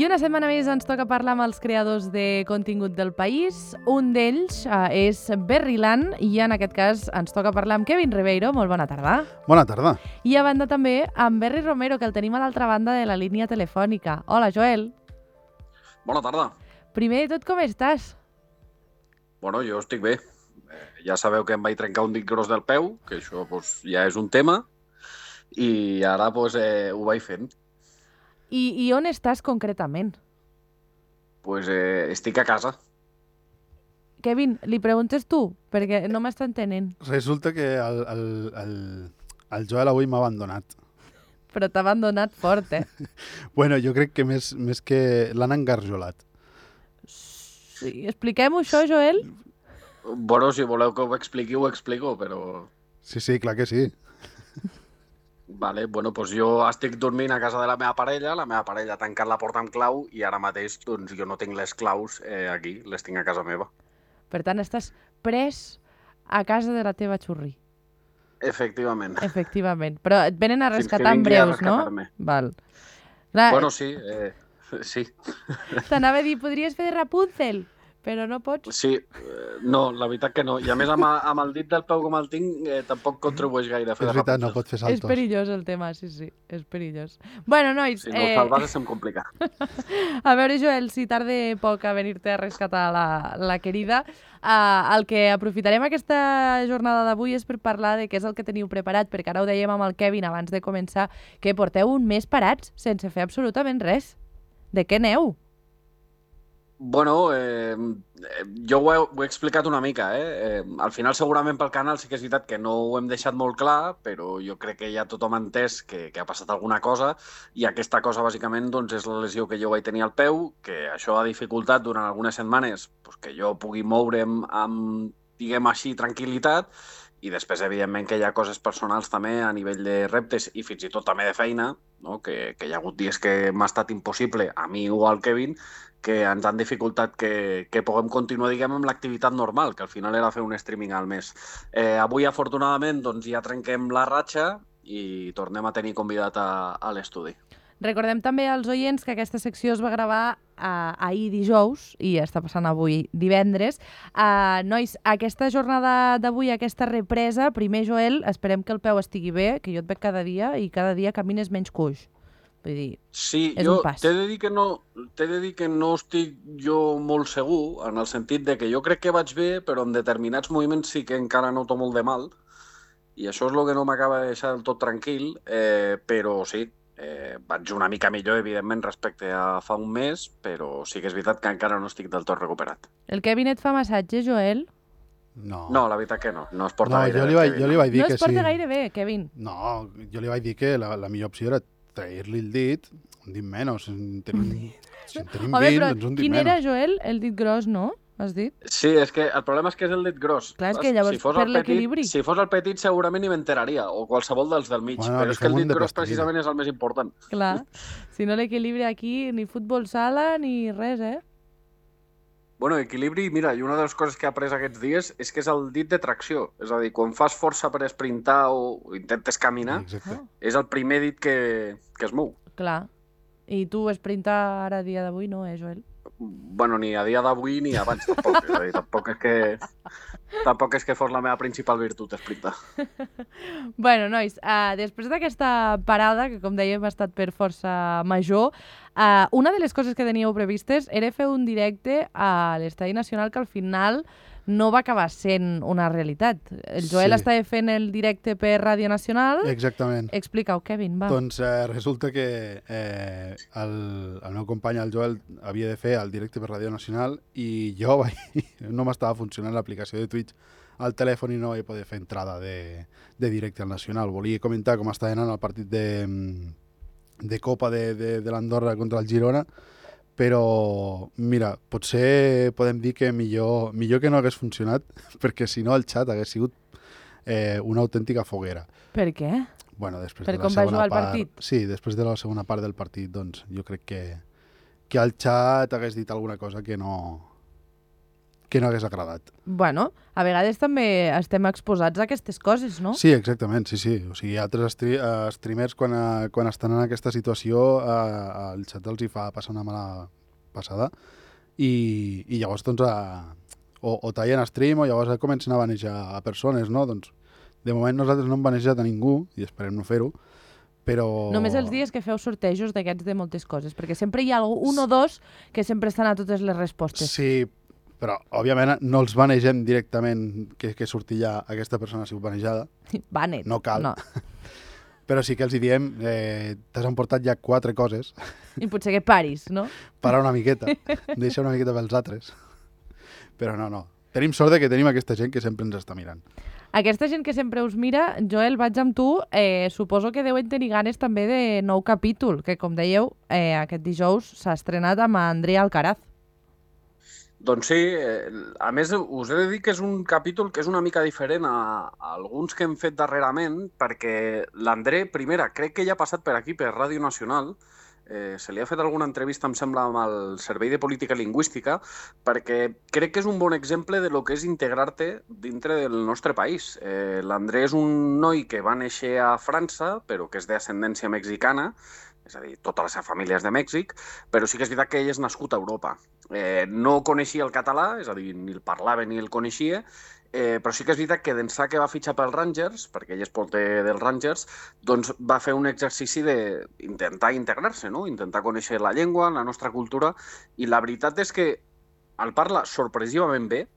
I una setmana més ens toca parlar amb els creadors de contingut del país. Un d'ells és Berriland i en aquest cas ens toca parlar amb Kevin Ribeiro. Molt bona tarda. Bona tarda. I a banda també amb Berri Romero, que el tenim a l'altra banda de la línia telefònica. Hola, Joel. Bona tarda. Primer de tot, com estàs? Bueno, jo estic bé. Ja sabeu que em vaig trencar un dit gros del peu, que això ja és un tema, i ara ho vaig fent. I on estàs concretament? Estic a casa. Kevin, li preguntes tu, perquè no m'està entenent. Resulta que el Joel avui m'ha abandonat. Però t'ha abandonat fort, eh? Bueno, jo crec que més que l'han engarjolat. Sí, expliquem-ho això, Joel? Bueno, si voleu que ho explico, però... Sí, clar que sí. Vale, bueno, jo estic dormint a casa de la meva parella ha tancat la porta amb clau i ara mateix jo no tinc les claus aquí, les tinc a casa meva. Per tant, estàs pres a casa de la teva xurri. Efectivament. Efectivament. Però et venen a rescatar en breus, no? Val. Clar, Bueno, sí, sí. t'anava a dir, podries fer de Rapunzel, però no pots. Sí, no, la veritat que no. I a més, amb el dit del peu com el tinc, tampoc contribueix gaire a fer És de veritat, no Rapunzel. pot fer saltos. És perillós el tema, sí, és perillós. Bueno, nois... Si no el salves se'm complica. A veure, Joel, si tarda poc a venir-te a rescatar la querida, el que aprofitarem aquesta jornada d'avui és per parlar de què és el que teniu preparat, perquè ara ho dèiem amb el Kevin abans de començar, que porteu un mes parats sense fer absolutament res. De què aneu? Bueno, jo ho he explicat una mica, al final segurament pel canal sí que és veritat que no ho hem deixat molt clar, però jo crec que ja tothom ha entès que ha passat alguna cosa i aquesta cosa bàsicament és la lesió que jo vaig tenir al peu, que això ha dificultat durant algunes setmanes que jo pugui moure'm amb, diguem així, tranquil·litat, i després, evidentment, que hi ha coses personals també a nivell de reptes i fins i tot també de feina, no? que hi ha hagut dies que m'ha estat impossible, a mi o al Kevin, que ens han dificultat que puguem continuar, diguem, amb l'activitat normal, que al final era fer un streaming al mes. Avui, afortunadament, ja trenquem la ratxa i tornem a tenir convidat a l'estudi. Recordem també als oients que aquesta secció es va gravar ahir dijous i està passant avui divendres. Nois, aquesta jornada d'avui, aquesta represa, primer, Joel, esperem que el peu estigui bé, que jo et veig cada dia i cada dia camines menys coix. Vull dir, sí, és jo un pas. t'he de dir que no estic jo molt segur, en el sentit de que jo crec que vaig bé, però en determinats moviments sí que encara noto molt de mal, i això és el que no m'acaba de deixar del tot tranquil, però sí, vaig una mica millor, evidentment, respecte a fa un mes, però sí que és veritat que encara no estic del tot recuperat. El Kevin et fa massatge, Joel? No, la veritat que no es porta gaire bé. Jo li vaig dir no que es porta sí. gaire bé, Kevin. No, jo li vaig dir que la millor opció era trair-li el dit, un dit menys. Si en tenim 20, Home, però doncs un dit quin menys. era, Joel? El dit gros, no? Has dit? Sí, és que el problema és que és el dit gros. Clar, és que llavors per l'equilibri. Si fos el petit segurament ni m'enteraria, o qualsevol dels del mig, Bueno, però és que el fem un dit de gros plastilina. precisament és el més important. Clar, si no l'equilibri aquí, ni futbol sala, ni res, eh? Bueno, equilibri, mira, i una de les coses que he après aquests dies és que és el dit de tracció. És a dir, quan fas força per esprintar o intentes caminar, Exacte. és el primer dit que es mou. Clar. I tu esprintar ara a dia d'avui no, Joel? Bueno, ni a dia d'avui ni abans tampoc. És a dir, tampoc és que fos la meva principal virtut, esprintar. Bueno, nois, després d'aquesta parada, que com dèiem ha estat per força major, una de les coses que teníeu previstes era fer un directe a l'Estadi Nacional que al final no va acabar sent una realitat. El Joel estava fent el directe per Ràdio Nacional. Exactament. Explica-ho, Kevin, va. Doncs resulta que el meu company, el Joel, havia de fer el directe per Ràdio Nacional i jo no m'estava funcionant l'aplicació de Twitch al telèfon i no vaig poder fer entrada de directe al Nacional. Volia comentar com estava anant el partit de Copa de l'Andorra contra el Girona, però, mira, potser podem dir que millor que no hagués funcionat, perquè si no el xat hagués sigut una autèntica foguera. Per què? Bueno, després Per de la com va segona jugar el part, partit? Sí, després de la segona part del partit, doncs jo crec que el xat hagués dit alguna cosa que no que no hagués agradat. Bueno, a vegades també estem exposats a aquestes coses, no? Sí, exactament, sí. O sigui, altres streamers quan estan en aquesta situació el xat els hi fa passar una mala passada i llavors doncs o tallen stream o llavors comencen a banejar a persones, no? Doncs de moment nosaltres no hem banejat a ningú i esperem no fer-ho, però... Només els dies que feu sortejos d'aquests de moltes coses, perquè sempre hi ha un o dos que sempre estan a totes les respostes. Sí, però òbviament no els banegem directament que surti ja aquesta persona ha sigut banejada. Banet. No cal. No. Però sí que els hi diem, t'has emportat ja 4 coses. I potser que paris, no? Para una miqueta, deixa una miqueta pels altres. Però no. Tenim sort de que tenim aquesta gent que sempre ens està mirant. Aquesta gent que sempre us mira, Joel, vaig amb tu, suposo que deuen tenir ganes també de nou capítol, que com dèieu, aquest dijous s'ha estrenat amb André Alcaraz. Doncs sí, a més us he de dir que és un capítol que és una mica diferent a alguns que hem fet darrerament, perquè l'André, primera, crec que ja ha passat per aquí, per Ràdio Nacional, se li ha fet alguna entrevista, em sembla, amb el Servei de Política Lingüística, perquè crec que és un bon exemple de lo que és integrar-te dintre del nostre país. L'André és un noi que va néixer a França, però que és d'ascendència mexicana, és a dir, tota la seva família és de Mèxic, però sí que és veritat que ell és nascut a Europa. No coneixia el català, és a dir, ni el parlava ni el coneixia, però sí que és veritat que d'ençà que va fitxar pels Rangers, perquè ell és porter dels Rangers, doncs va fer un exercici d'intentar integrar-se, no? Intentar conèixer la llengua, la nostra cultura, i la veritat és que el parla sorpresivament bé.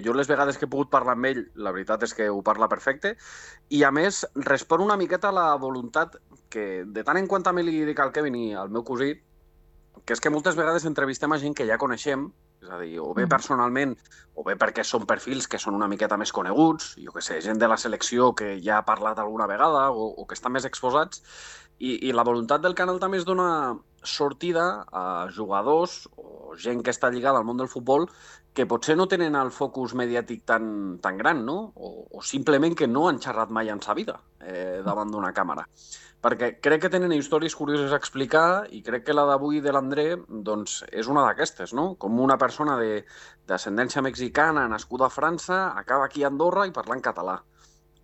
Jo les vegades que he pogut parlar amb ell, la veritat és que ho parla perfecte, i a més respon una miqueta a la voluntat que de tant en quant també li dic al Kevin i al meu cosí, que és que moltes vegades entrevistem a gent que ja coneixem, és a dir, o bé personalment, o bé perquè són perfils que són una miqueta més coneguts, jo què sé, gent de la selecció que ja ha parlat alguna vegada o que estan més exposats, i la voluntat del canal també és donar sortida a jugadors o gent que està lligada al món del futbol que potser no tenen el focus mediàtic tan gran, no? O simplement que no han xerrat mai en sa vida davant d'una càmera. Perquè crec que tenen històries curioses a explicar i crec que la d'avui de l'André doncs, és una d'aquestes, no? Com una persona d'ascendència mexicana, nascuda a França, acaba aquí a Andorra i parlant català.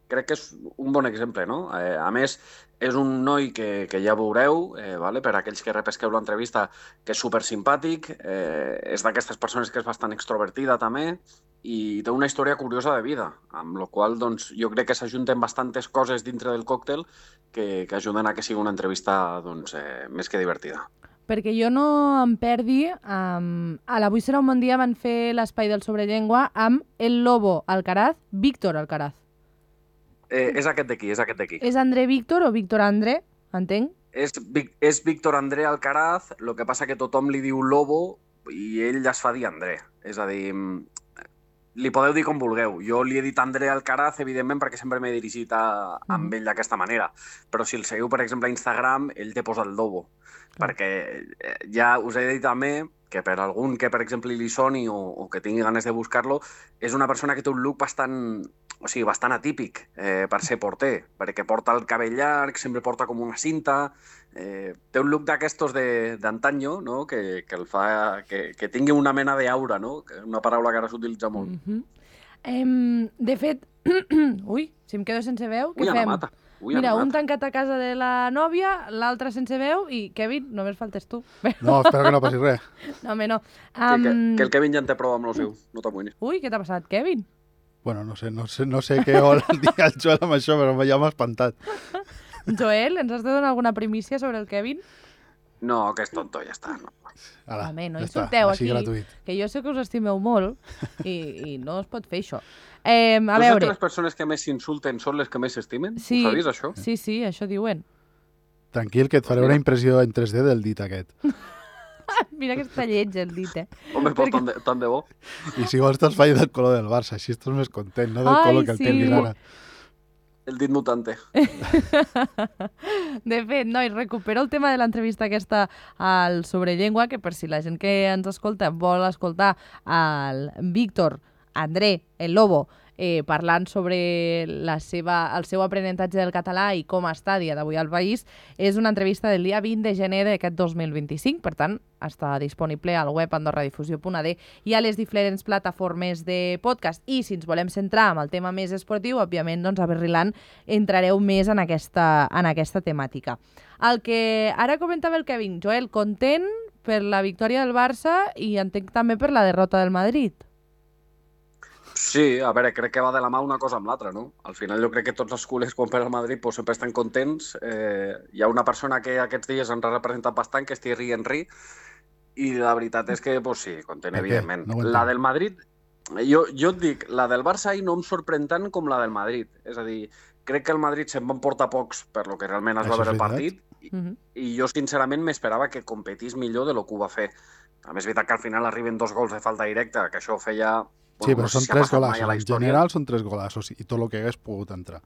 Crec que és un bon exemple, no? A més, és un noi que ja veureu, vale? Per aquells que repesqueu l'entrevista, que és supersimpàtic, és d'aquestes persones que és bastant extrovertida també, i té una història curiosa de vida, amb la qual doncs, jo crec que s'ajunten bastantes coses dintre del còctel que ajuden a que sigui una entrevista doncs, més que divertida. Perquè jo no em perdi, a l'Avui serà un bon dia van fer l'espai del Sobrellengua amb el Lobo Alcaraz, Víctor Alcaraz. És aquest d'aquí, és aquest d'aquí. És André Víctor o Víctor André, entenc? És Víctor André Alcaraz, el que passa que tothom li diu Lobo i ell ja es fa dir André. És a dir, li podeu dir com vulgueu. Jo li he dit André Alcaraz, evidentment, perquè sempre m'he dirigit amb ell d'aquesta manera. Però si el seguiu, per exemple, a Instagram, ell té posat el Lobo. Perquè ja us he dit també que per algun que, per exemple, li soni o que tingui ganes de buscar-lo, és una persona que té un look bastant atípic per ser porter, perquè porta el cabell llarg, sempre porta com una cinta, té un look d'aquestos d'antanyo, no? que el fa que tingui una mena d'aura, no? Una paraula que ara s'utilitza molt. De fet, ui, si em quedo sense veu, què fem? Mata. Mira, un tancat a casa de la nòvia, l'altre sense veu i, Kevin, només faltes tu. No, espero que no passi res. No, home, no. Que el Kevin ja en té prou amb el seu, no t'amoïnis. Ui, què t'ha passat, Kevin? Bueno, no sé què vol dir el Joel amb això, però ja m'ha espantat. Joel, ens has de donar alguna primícia sobre el Kevin? No, que és tonto, ja està. No. Ala, home, no insulteu aquí, gratuït. Que jo sé que us estimeu molt i no es pot fer això. A veure... veure... que les persones que més s'insulten són les que més s'estimen? Sí, ho sabies, això? Sí, això diuen. Tranquil, que et faré una impressió en 3D del dit aquest. Mira que està lleig el dit, Home, però tant de bo. I si vols te'ls faig del color del Barça, així estàs més content, no del color que el tinguis ara. El dit mutante. De fet, nois, recupero el tema de l'entrevista aquesta al Sobrellengua, que per si la gent que ens escolta vol escoltar el Víctor, André, el Lobo, parlant sobre el seu aprenentatge del català i com està a dia d'avui al país. És una entrevista del dia 20 de gener d'aquest 2025, per tant, està disponible al web andorradifusió.ad i a les diferents plataformes de podcast. I si ens volem centrar en el tema més esportiu, òbviament, doncs a Berriland entrareu més en aquesta temàtica. El que ara comentava el Kevin, Joel, content per la victòria del Barça i entenc també per la derrota del Madrid. Sí, a veure, crec que va de la mà una cosa amb l'altra, no? Al final jo crec que tots els culers quan per al Madrid pues, sempre estan contents. Hi ha una persona que aquests dies ens ha representat bastant, que és Thierry Henry, i la veritat és que, pues, sí, content, evidentment. No la del Madrid, jo et dic, la del Barça ahir no em sorprèn tant com la del Madrid. És a dir, crec que el Madrid se'n van portar pocs per lo que realment es va veure el partit, i jo sincerament m'esperava que competís millor de lo que ho va fer. A més, és veritat que al final arriben 2 gols de falta directa, que això feia... Sí, però són 3 golassos. En general són 3 golassos i tot el que hagués pogut entrar.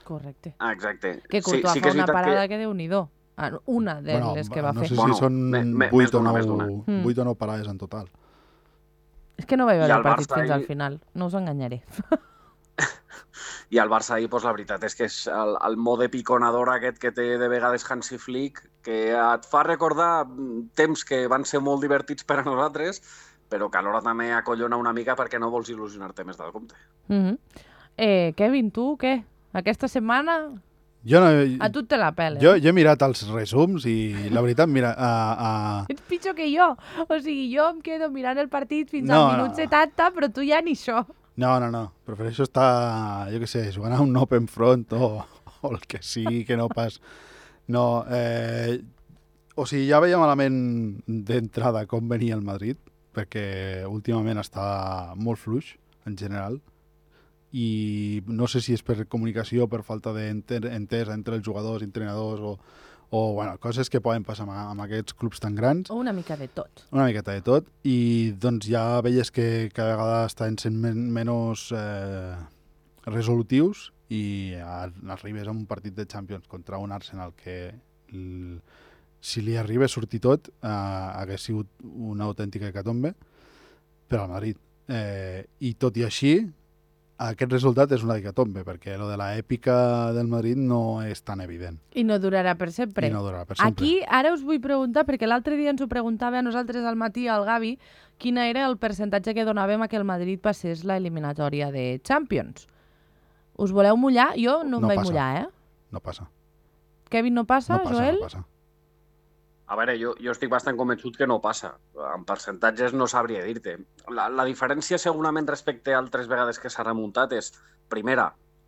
Correcte. Exacte. Que Courtois fa una parada que Déu-n'hi-do. Una de les que va fer. No sé si són 8 o 9 parades en total. És que no vaig veure el partit fins al final. No us enganyaré. I el Barça ahir, la veritat és que és el mode piconador aquest que té de vegades Hansi Flick, que et fa recordar temps que van ser molt divertits per a nosaltres, però que alhora també acollona una mica perquè no vols il·lusionar-te més del compte. Kevin, tu què? Aquesta setmana a tu te la pela. Jo he mirat els resums i la veritat, mira... Ets pitjor que jo. O sigui, jo em quedo mirant el partit fins al minut 70, però tu ja ni això. No. Prefereixo estar, jo què sé, jugant a un open front o el que sigui, que no pas... No, o sigui, ja veia malament d'entrada com venia el Madrid, perquè últimament està molt fluix, en general, i no sé si és per comunicació, per falta d'entesa entre els jugadors, entrenadors, o bueno, coses que poden passar amb aquests clubs tan grans. O una mica de tot. Una miqueta de tot, i doncs ja veies que cada vegada estan sent menys resolutius i arribes a un partit de Champions contra un Arsenal que... si li arriba a sortir tot, hagués sigut una autèntica hecatombe per al Madrid. I tot i així, aquest resultat és una hecatombe, perquè lo de l'èpica del Madrid no és tan evident. I no durarà per sempre. Aquí ara us vull preguntar, perquè l'altre dia ens ho preguntava a nosaltres al matí, al Gavi, quin era el percentatge que donàvem a que el Madrid passés la eliminatòria de Champions. Us voleu mullar? Jo no em vaig mullar, No passa. Kevin, no passa, Joel? No passa. A veure, jo estic bastant convençut que no passa. En percentatges no sabria dir-te. La diferència segurament respecte a altres vegades que s'ha remuntat és, primera,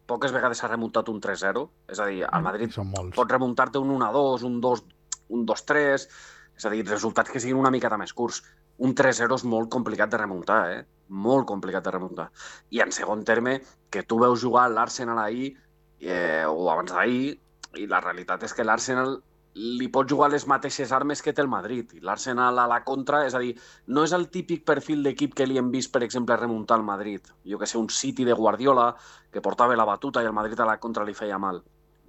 poques vegades s'ha remuntat un 3-0. És a dir, al Madrid pot remuntar-te un 1-2, un 2-3, és a dir, resultats que siguin una miqueta més curts. Un 3-0 és molt complicat de remuntar, Molt complicat de remuntar. I en segon terme, que tu veus jugar l'Arsenal ahir, o abans d'ahir, i la realitat és que l'Arsenal li pot jugar les mateixes armes que té el Madrid. I l'Arsenal a la contra, és a dir, no és el típic perfil d'equip que li hem vist, per exemple, remuntar al Madrid. Jo que sé, un City de Guardiola, que portava la batuta i el Madrid a la contra li feia mal.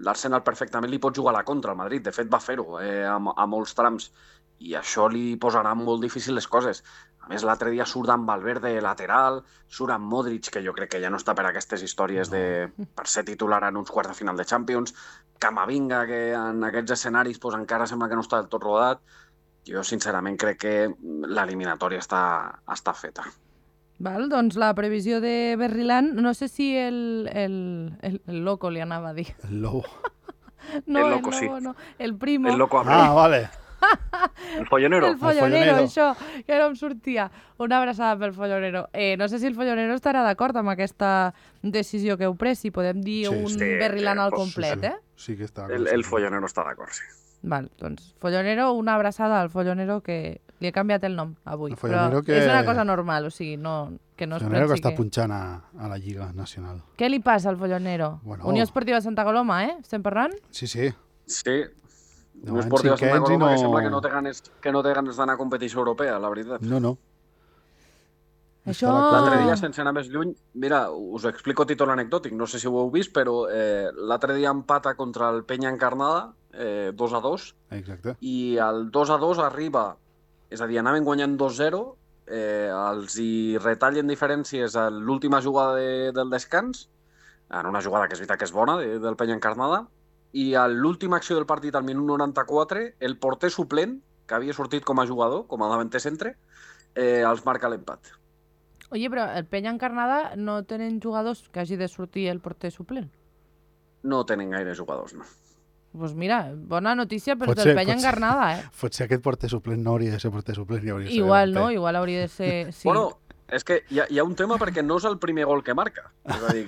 L'Arsenal perfectament li pot jugar a la contra al Madrid. De fet, va fer-ho a molts trams. I això li posarà molt difícil les coses. A més, l'altre dia surt amb Valverde lateral, surt amb Modric, que jo crec que ja no està per aquestes històries per ser titular en uns quarts de final de Champions, Camavinga, que en aquests escenaris encara sembla que no està del tot rodat. Jo, sincerament, crec que l'eliminatòria està feta. Val, doncs la previsió de Berriland, no sé si el loco li anava a dir. El lobo. No, el loco, sí. No. El primo. El loco vale. El follonero. El follonero, això, que no em sortia. Una abraçada pel follonero. No sé si el follonero estarà d'acord amb aquesta decisió que heu pres, si podem dir Berriland al complet, Sí que està d'acord. El follonero està d'acord, sí. Val, doncs, follonero, una abraçada al follonero que li he canviat el nom avui, però que... és una cosa normal, o sigui, que no es pensi que està punxant a la Lliga Nacional. Què li passa al follonero? Bueno. Unió Esportiva Santa Coloma, estem parlant? Sí. Sí. Unió Esportiva Santa Coloma, que sembla que no té ganes d'anar a competició europea, la veritat. No. Això... L'altre dia, sense anar més lluny, mira, us explico a títol anecdòtic, no sé si ho heu vist, però l'altre dia empata contra el Penya Encarnada, 2-2. Exacte. I el 2-2 arriba, és a dir, anaven guanyant 2-0, els hi retallen diferències a l'última jugada del descans, en una jugada que és veritat que és bona, del Penya Encarnada, i a l'última acció del partit, al minut 94, el porter suplent, que havia sortit com a jugador, com a davanter centre, els marca l'empat. Oye, però el Penya Encarnada no tenen jugadors que hagi de sortir el porter suplent? No tenen gaire jugadors, no. Pues mira, bona notícia per Potser- del Penya potser- Encarnada, Potser aquest porter suplent no hauria de ser porter suplent i hauria de ser Igual, davanter. no? Igual hauria de ser... Sí. Bueno, és que hi ha un tema perquè no és el primer gol que marca. És a dir,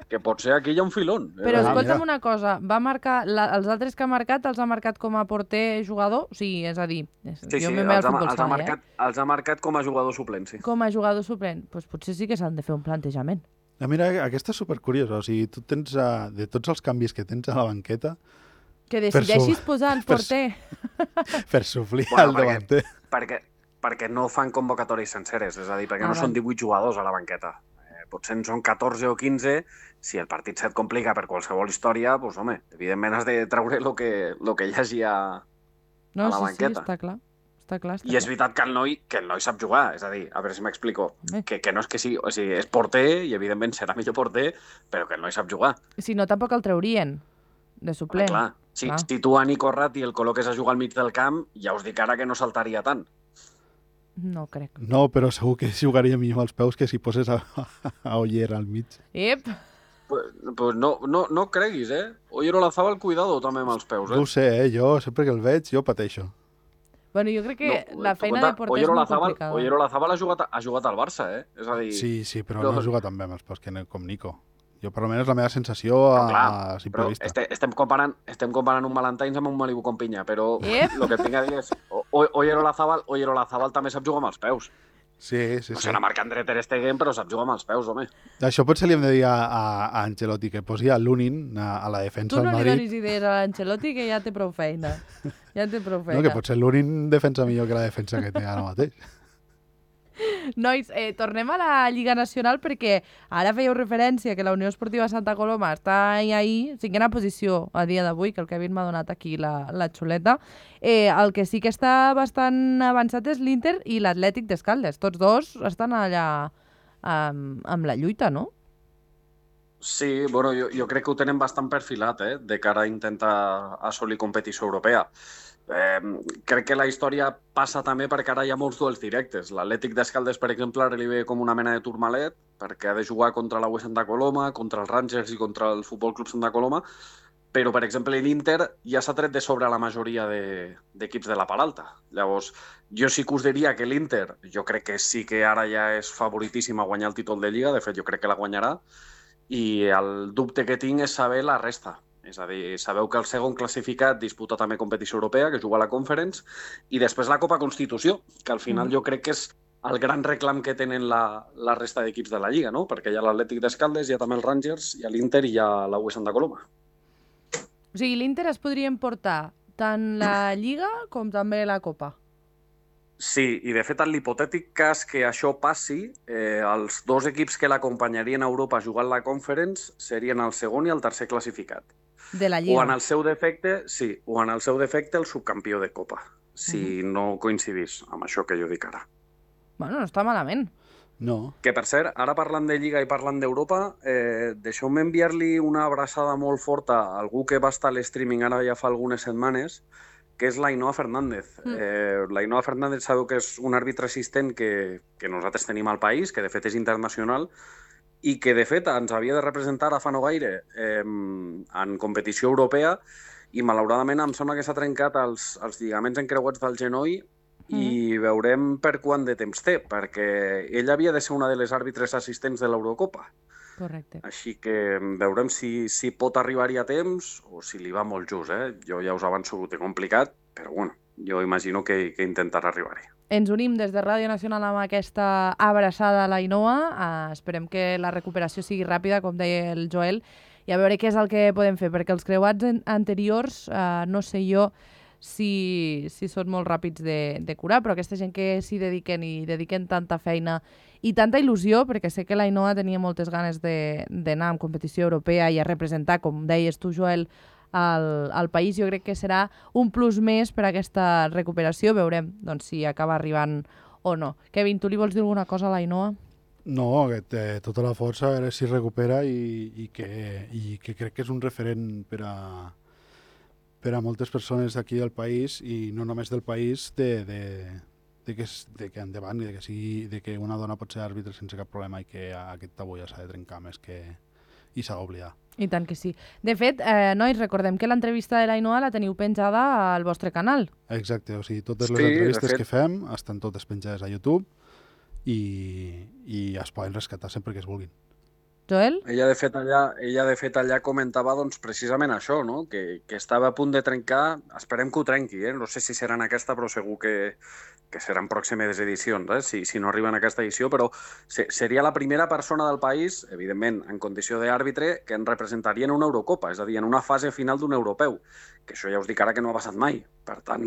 que potser aquí hi ha un filón. Però escolta'm mira. una cosa, va marcar els altres que ha marcat els ha marcat com a porter jugador? O sigui, és a dir, Sí, jo sí, m'he al els futbol ha sala, els ha marcat com a jugador suplent, sí. com a jugador suplent. Pues potser sí que s'han de fer un plantejament. Mira, aquesta és supercuriosa. O sigui, tu tens, de tots els canvis que tens a la banqueta, Que decideixis su- posar el per porter. per suplir Bueno, el davanter. Perquè no fan convocatòries senceres, és a dir, perquè Ah, no són val. 18 jugadors a la banqueta. Potser en són 14 o 15, si el partit se't complica per qualsevol història, doncs home, evidentment has de treure el que hi hagi a No, la sí, banqueta. està clar. Està clar, està I és clar. veritat que el noi sap jugar, és a dir, a veure si m'explico, Home. que no és que sí, o sigui, és porter i evidentment serà millor porter, però que el noi sap jugar. Si no, tampoc el traurien de Home, suplent. clar, si Clar. tu a Nico Ratti el col·loques a jugar al mig del camp, ja us dic ara que no saltaria tant. No crec. No, però segur que jugaria millor als peus que si poses a Oller al mig. Ep! Pues no creguis, Oyerolázábal, cuidado també amb els peus, No ho sé, jo sempre que el veig, jo pateixo. Bueno, jo crec que No, la tu feina compte, de porter és molt complicada. Oyerolázábal ha jugat al Barça, És a dir... Sí, però No. no juga tan bé amb els peus com Nico. Jo, per almenys, la meva sensació Però, clar, a simple però vista. estem comparant un Valentines amb un Malibu con pinya, però Ep! el que tinc a dir és Oyerolázábal també sap jugar amb els peus. Sí. O sigui, marca André Ter Stegen, però sap jugar amb els peus, home. Això potser li hem de dir a Ancelotti, que posi a Lunin a la defensa Tu del no li Madrid. donis idees a l'Ancelotti, que ja té prou feina. Ja té prou feina. No, que potser Lunin defensa millor que la defensa que té ara mateix. Nois, tornem a la Lliga Nacional perquè ara fèieu referència que la Unió Esportiva Santa Coloma està ahí, cinquena posició a dia d'avui, que el Kevin m'ha donat aquí la xuleta. El que sí que està bastant avançat és l'Inter i l'Atlètic d'Escaldes. Tots dos estan allà amb la lluita, no? Sí, bueno, jo crec que ho tenen bastant perfilat, de cara a intentar assolir competició europea. Crec que la història passa també perquè ara hi ha molts duels directes. L'Atlètic d'Escaldes, per exemple, ara li ve com una mena de turmalet perquè ha de jugar contra la UE Santa Coloma, contra els Rangers i contra el Futbol Club Santa Coloma, però, per exemple, l'Inter ja s'ha tret de sobre la majoria d'equips de la part alta. Llavors, jo sí que us diria que l'Inter, jo crec que sí que ara ja és favoritíssim a guanyar el títol de Lliga, de fet, jo crec que la guanyarà, i el dubte que tinc és saber la resta. És a dir, sabeu que el segon classificat disputa també competició europea, que juga a la Conference, i després la Copa Constitució, que al final jo crec que és el gran reclam que tenen la resta d'equips de la Lliga, no? Perquè hi ha l'Atlètic d'Escaldes, hi ha també els Rangers, hi ha l'Inter i hi ha la UE Santa Coloma. O sigui, l'Inter es podria emportar tant la Lliga com també la Copa. Sí, i de fet, en l'hipotètic cas que això passi, els dos equips que l'acompanyarien a Europa jugant la Conference serien el segon i el tercer classificat. De la O Lliga. en el seu defecte, sí, o en el seu defecte el subcampió de Copa, si no coincidís amb això que jo dic ara. Bueno, no està malament. No. Que, per cert, ara parlant de Lliga i parlant d'Europa, deixeu-me enviar-li una abraçada molt forta a algú que va estar a l'streaming ara ja fa algunes setmanes, que és l'Ainoa Fernández. L'Ainoa Fernández sabeu que és un àrbitre assistent que nosaltres tenim al país, que de fet és internacional, i que de fet ens havia de representar a fa no gaire en competició europea, i malauradament em sembla que s'ha trencat els lligaments encreuats del genoll i veurem per quant de temps té, perquè ell havia de ser una de les àrbitres assistents de l'Eurocopa. Correcte. Així que veurem si pot arribar-hi a temps o si li va molt just. Jo ja us avanço que ho té complicat, però bueno, jo imagino que intentarà arribar-hi. Ens unim des de Ràdio Nacional amb aquesta abraçada a l'Ainoa. Esperem que la recuperació sigui ràpida, com deia el Joel, i a veure què és el que podem fer, perquè els creuats anteriors, no sé jo si són molt ràpids de curar, però aquesta gent que s'hi dediquen i dediquen tanta feina i tanta il·lusió, perquè sé que l'Ainoa tenia moltes ganes d'anar en competició europea i a representar, com deies tu, Joel, al país, jo crec que serà un plus més per a aquesta recuperació. Veurem doncs, si acaba arribant o no? Kevin, tu li vols dir alguna cosa a l'Ainoa? No, que té tota la força, a veure si recupera i que crec que és un referent per a moltes persones d'aquí del país i no només del país de que endavant i de que una dona pot ser àrbitre sense cap problema i que aquest tabú ja s'ha de trencar més que i s'ha d'oblidar. I tant que sí. De fet, nois, recordem que l'entrevista de l'Ainoa la teniu penjada al vostre canal. Exacte, o sigui, totes les entrevistes que fem estan totes penjades a YouTube i es poden rescatar sempre que es vulguin. Joel? Ella de fet allà comentava doncs, precisament això, no? que estava a punt de trencar, esperem que ho trenqui, no sé si serà en aquesta, però segur que seran pròximes edicions, si no arriba en aquesta edició, però seria la primera persona del país, evidentment, en condició d'àrbitre, que en representaria en una Eurocopa, és a dir, en una fase final d'un europeu, que això ja us dic ara que no ha passat mai. Per tant,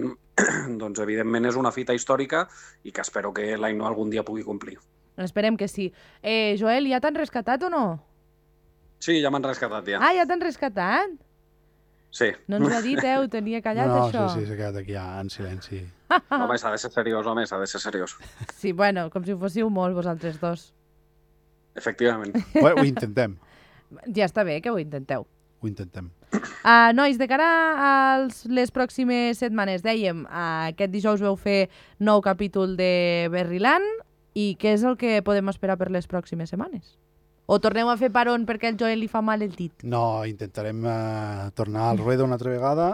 doncs, evidentment, és una fita històrica i que espero que l'Ainoa algun dia pugui complir. Esperem que sí. Joel, ja t'han rescatat o no? Sí, ja m'han rescatat, ja. Ah, ja t'han rescatat? Sí. No ens ho ha dit, ho tenia callat, no, això. Sí, s'ha quedat aquí en silenci. Home, s'ha de ser seriós, s'ha de ser seriós. Sí, bueno, com si fóssiu molt vosaltres dos. Efectivament. Ho intentem. Ja està bé que ho intenteu. Ho intentem. Nois, de cara a les pròximes setmanes, dèiem, aquest dijous veu fer nou capítol de Berriland i què és el que podem esperar per les pròximes setmanes? O torneu a fer paron perquè el Joel li fa mal el dit? No, intentarem tornar al ruedo una altra vegada.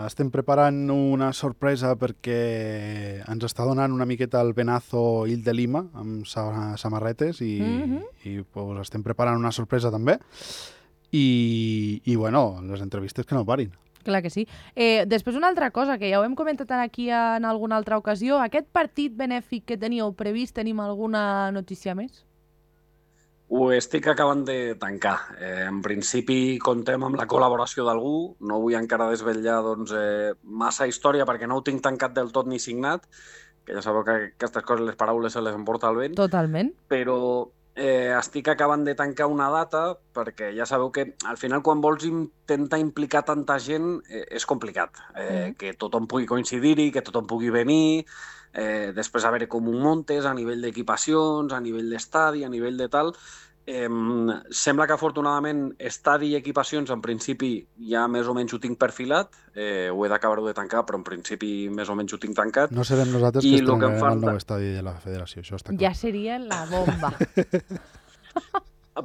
Estem preparant una sorpresa perquè ens està donant una miqueta el venazo Ill de Lima amb samarretes i pues, estem preparant una sorpresa també. I bueno, les entrevistes que no parin. Clar que sí. Després una altra cosa, que ja ho hem comentat aquí en alguna altra ocasió, aquest partit benèfic que teníeu previst, tenim alguna notícia més? Ho estic acabant de tancar. En principi contem amb la col·laboració d'algú, no vull encara desvetllar doncs, massa història perquè no ho tinc tancat del tot ni signat, que ja sabeu que aquestes coses, les paraules se les emporta el vent. Totalment. Però estic acabant de tancar una data perquè ja sabeu que al final quan vols intentar implicar tanta gent és complicat. Que tothom pugui coincidir-hi, que tothom pugui venir, després a veure com ho muntes a nivell d'equipacions, a nivell d'estadi, a nivell de tal. Sembla que afortunadament estadi i equipacions en principi ja més o menys ho tinc perfilat, ho he d'acabar-ho de tancar, però en principi més o menys ho tinc tancat. No serem nosaltres que estrenarem el nou estadi de la federació, això està clar. Ja seria la bomba.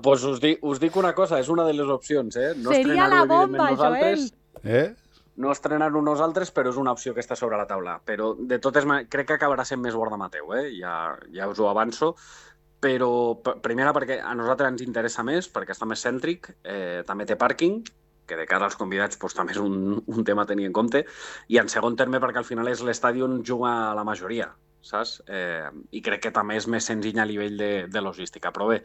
Pues us dic una cosa, és una de les opcions, No seria la bomba, Joel! No estrenar-ho nosaltres, però és una opció que està sobre la taula. Però de totes maneres, crec que acabarà sent més Guardamateu, ja us ho avanço. Però, primera, perquè a nosaltres ens interessa més, perquè està més cèntric, també té pàrquing, que de cara als convidats doncs, també és un tema a tenir en compte, i en segon terme perquè al final és l'estadi on juga la majoria, saps? I crec que també és més senzill a nivell de logística. Però bé,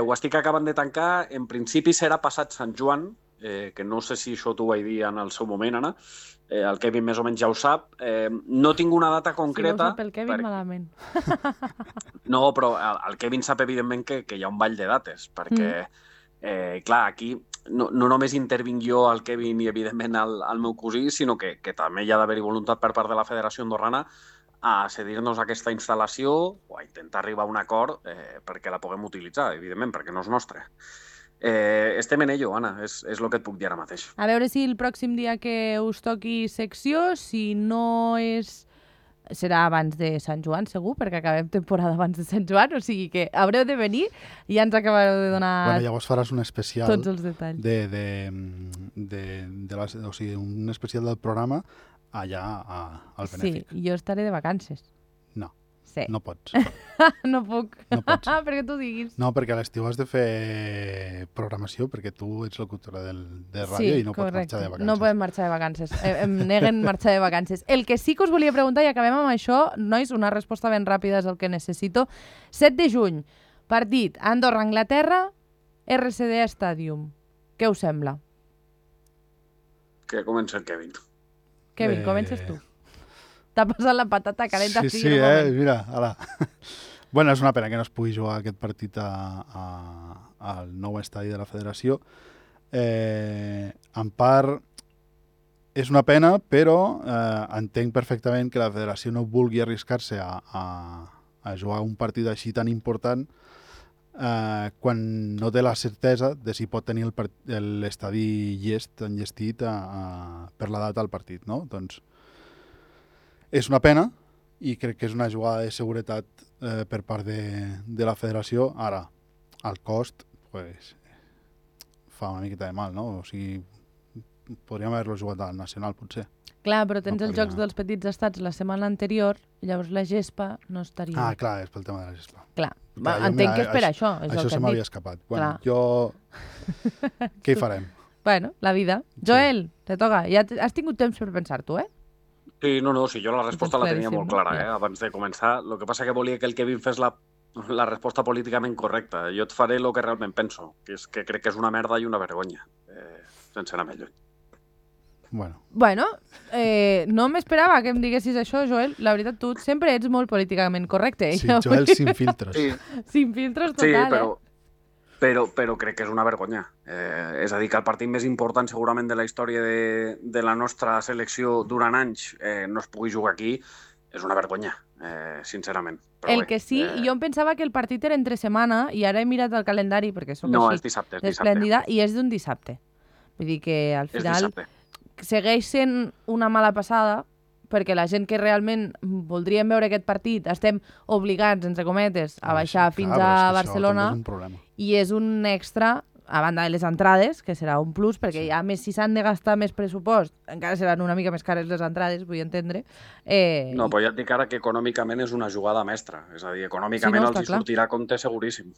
ho estic acabant de tancar, en principi serà passat Sant Joan, que no sé si això t'ho vaig dir en el seu moment, Anna, el Kevin més o menys ja ho sap. No tinc una data concreta. Si no ho sap el Kevin, malament. No, però el Kevin sap evidentment que hi ha un ball de dates, perquè, clar, aquí no només intervinc jo, el Kevin i evidentment el meu cosí, sinó que també hi ha d'haver-hi voluntat per part de la Federació Andorrana a cedir-nos aquesta instal·lació o a intentar arribar a un acord perquè la puguem utilitzar, evidentment, perquè no és nostra. Estem en ello, Anna, és el que et puc dir ara mateix. A veure si el pròxim dia que us toqui secció, si no és... serà abans de Sant Joan, segur, perquè acabem temporada abans de Sant Joan, o sigui que haureu de venir i ja ens acabareu de donar bueno, llavors faràs un especial tots els detalls. O sigui, un especial del programa allà al Benèfic. Sí, jo estaré de vacances. No. Sí. No pots. No puc. No pots. Perquè tu diguis. No, perquè a l'estiu has de fer programació perquè tu ets locutora de ràdio i no pots marxar de vacances. No podem marxar de vacances. Em neguen marxar de vacances. El que sí que us volia preguntar, i acabem amb això, nois, una resposta ben ràpida és el que necessito. 7 de juny, partit Andorra-Anglaterra, RCD Stadium. Què us sembla? Que comença el Kevin. Kevin, comences tu. T'ha passat la patata calenta. Sí, mira, ala. Bueno, és una pena que no es pugui jugar aquest partit al nou estadi de la federació. En part, és una pena, però entenc perfectament que la federació no vulgui arriscar-se a jugar un partit així tan important quan no té la certesa de si pot tenir l'estadi enllestit per la data del partit, no? Doncs és una pena i crec que és una jugada de seguretat per part de la federació. Ara, al cost, pues, fa una miqueta de mal, no? O sigui, podríem haver-lo jugat al Nacional, potser. Clar, però tens No els Jocs dels Petits Estats la setmana anterior, i llavors la gespa no estaria... Ah, clar, és pel tema de la gespa. Clar, Clar, jo, entenc mira, que és per això, és el Això que se et m'havia dic. escapat. Bueno, Clar. jo... Què hi farem? Bueno, la vida. Joel, te toca. Ja has tingut temps per pensar-t'ho, eh? Sí, no, sí, jo la resposta la tenia molt clara, Ja. abans de començar. El que passa que volia que el Kevin fes la resposta políticament correcta. Jo et faré el que realment penso, que és que crec que és una merda i una vergonya, sense anar més lluny. Bueno, no m'esperava que em diguessis això, Joel. La veritat, tu sempre ets molt políticament correcte. Sí, Joel sin filtros. Sí, Sin filtros sí, total, però crec que és una vergonya. És a dir, que el partit més important segurament de la història de la nostra selecció durant anys no es pugui jugar aquí és una vergonya, sincerament. Però El bé, que sí, jo em pensava que el partit era entre setmana i ara he mirat el calendari perquè sóc No, així és dissabte, d'esplèndida i és d'un dissabte. Vull dir que al És final dissabte. segueix sent una mala passada perquè la gent que realment voldríem veure aquest partit estem obligats, entre cometes, a baixar fins a Barcelona És un problema. i és un extra a banda de les entrades, que serà un plus, perquè a més si s'han de gastar més pressupost, encara seran una mica més cares les entrades, vull entendre. No, però ja et dic ara que econòmicament és una jugada mestra. És a dir, econòmicament Sí, no, els està hi clar. sortirà a compte seguríssim.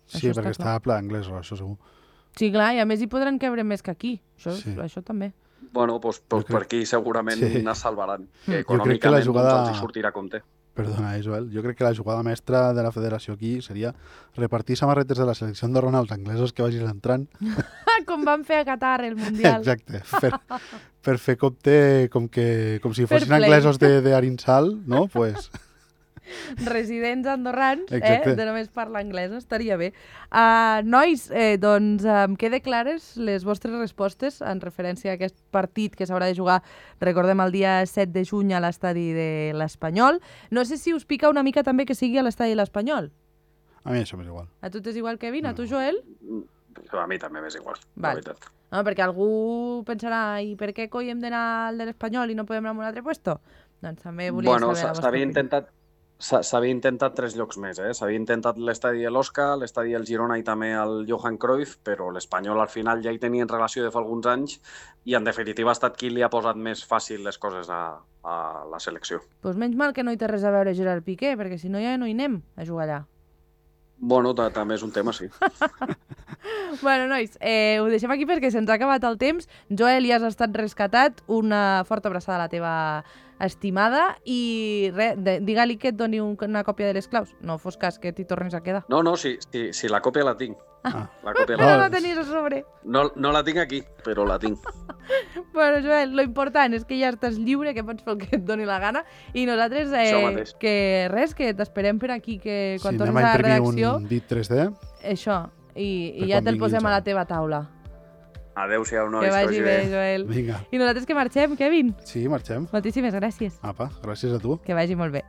Sí, perquè està a pla d'anglès, això segur. Sí, clar, i a més hi podran cabre més que aquí. Això també. Bueno, doncs per aquí segurament es salvaran. Que Jo crec que la econòmicament jugada... els hi sortirà a compte. Perdona, Joel. Jo crec que la jugada mestra de la federació aquí seria repartir samarretes de la selecció andorrana als anglesos que vagin entrant. Com van fer a Qatar el Mundial. Exacte. Per fer compte com si Fair fossin play. anglesos d'Arinsal, no? Pues... Residents andorrans, Exacte. de només parlar anglès, estaria bé. Nois, doncs em quede clares les vostres respostes en referència a aquest partit que s'haurà de jugar, recordem, el dia 7 de juny a l'estadi de l'Espanyol. No sé si us pica una mica també que sigui a l'estadi de l'Espanyol. A mi això m'és igual. A tu t'és igual, Kevin? A tu, Joel? A mi també m'és igual, Val. la veritat. No, perquè algú pensarà, i per què coi hem d'anar al de l'Espanyol i no podem anar a un altre puesto? Doncs també volia Bueno, saber la vostra opinió. s'havia intentat 3 llocs més, S'havia intentat l'estadi de l'Osca, l'estadi del Girona i també el Johan Cruyff, però l'Espanyol al final ja hi tenien relació de fa alguns anys i en definitiva ha estat qui li ha posat més fàcil les coses a la selecció. Doncs menys mal que no hi té res a veure Gerard Piqué, perquè si no ja no hi anem a jugar allà. Bueno, també és un tema, sí. Bueno, nois, ho deixem aquí perquè se'ns ha acabat el temps. Joel, ja has estat rescatat. Una forta abraçada a la teva estimada i digue-li que et doni una còpia de les claus. No fos cas que t'hi tornis a quedar. No, sí, la còpia la tinc. La còpia Però la no tenies a sobre. No la tinc aquí, però la tinc. Bueno, Joel, lo important és que ja estàs lliure, que pots fer el que et doni la gana. I nosaltres, Això mateix. que t'esperem per aquí, que quan Sí, tornis anem a a la imprimir redacció... un dit 3D. Això, i Per ja quan te'l vingui posem el a la Joel. teva taula. Adéu-siau, nois. Que vagi bé, Joel. Vinga. I nosaltres que marxem, Kevin. Sí, marxem. Moltíssimes gràcies. Apa, gràcies a tu. Que vagi molt bé.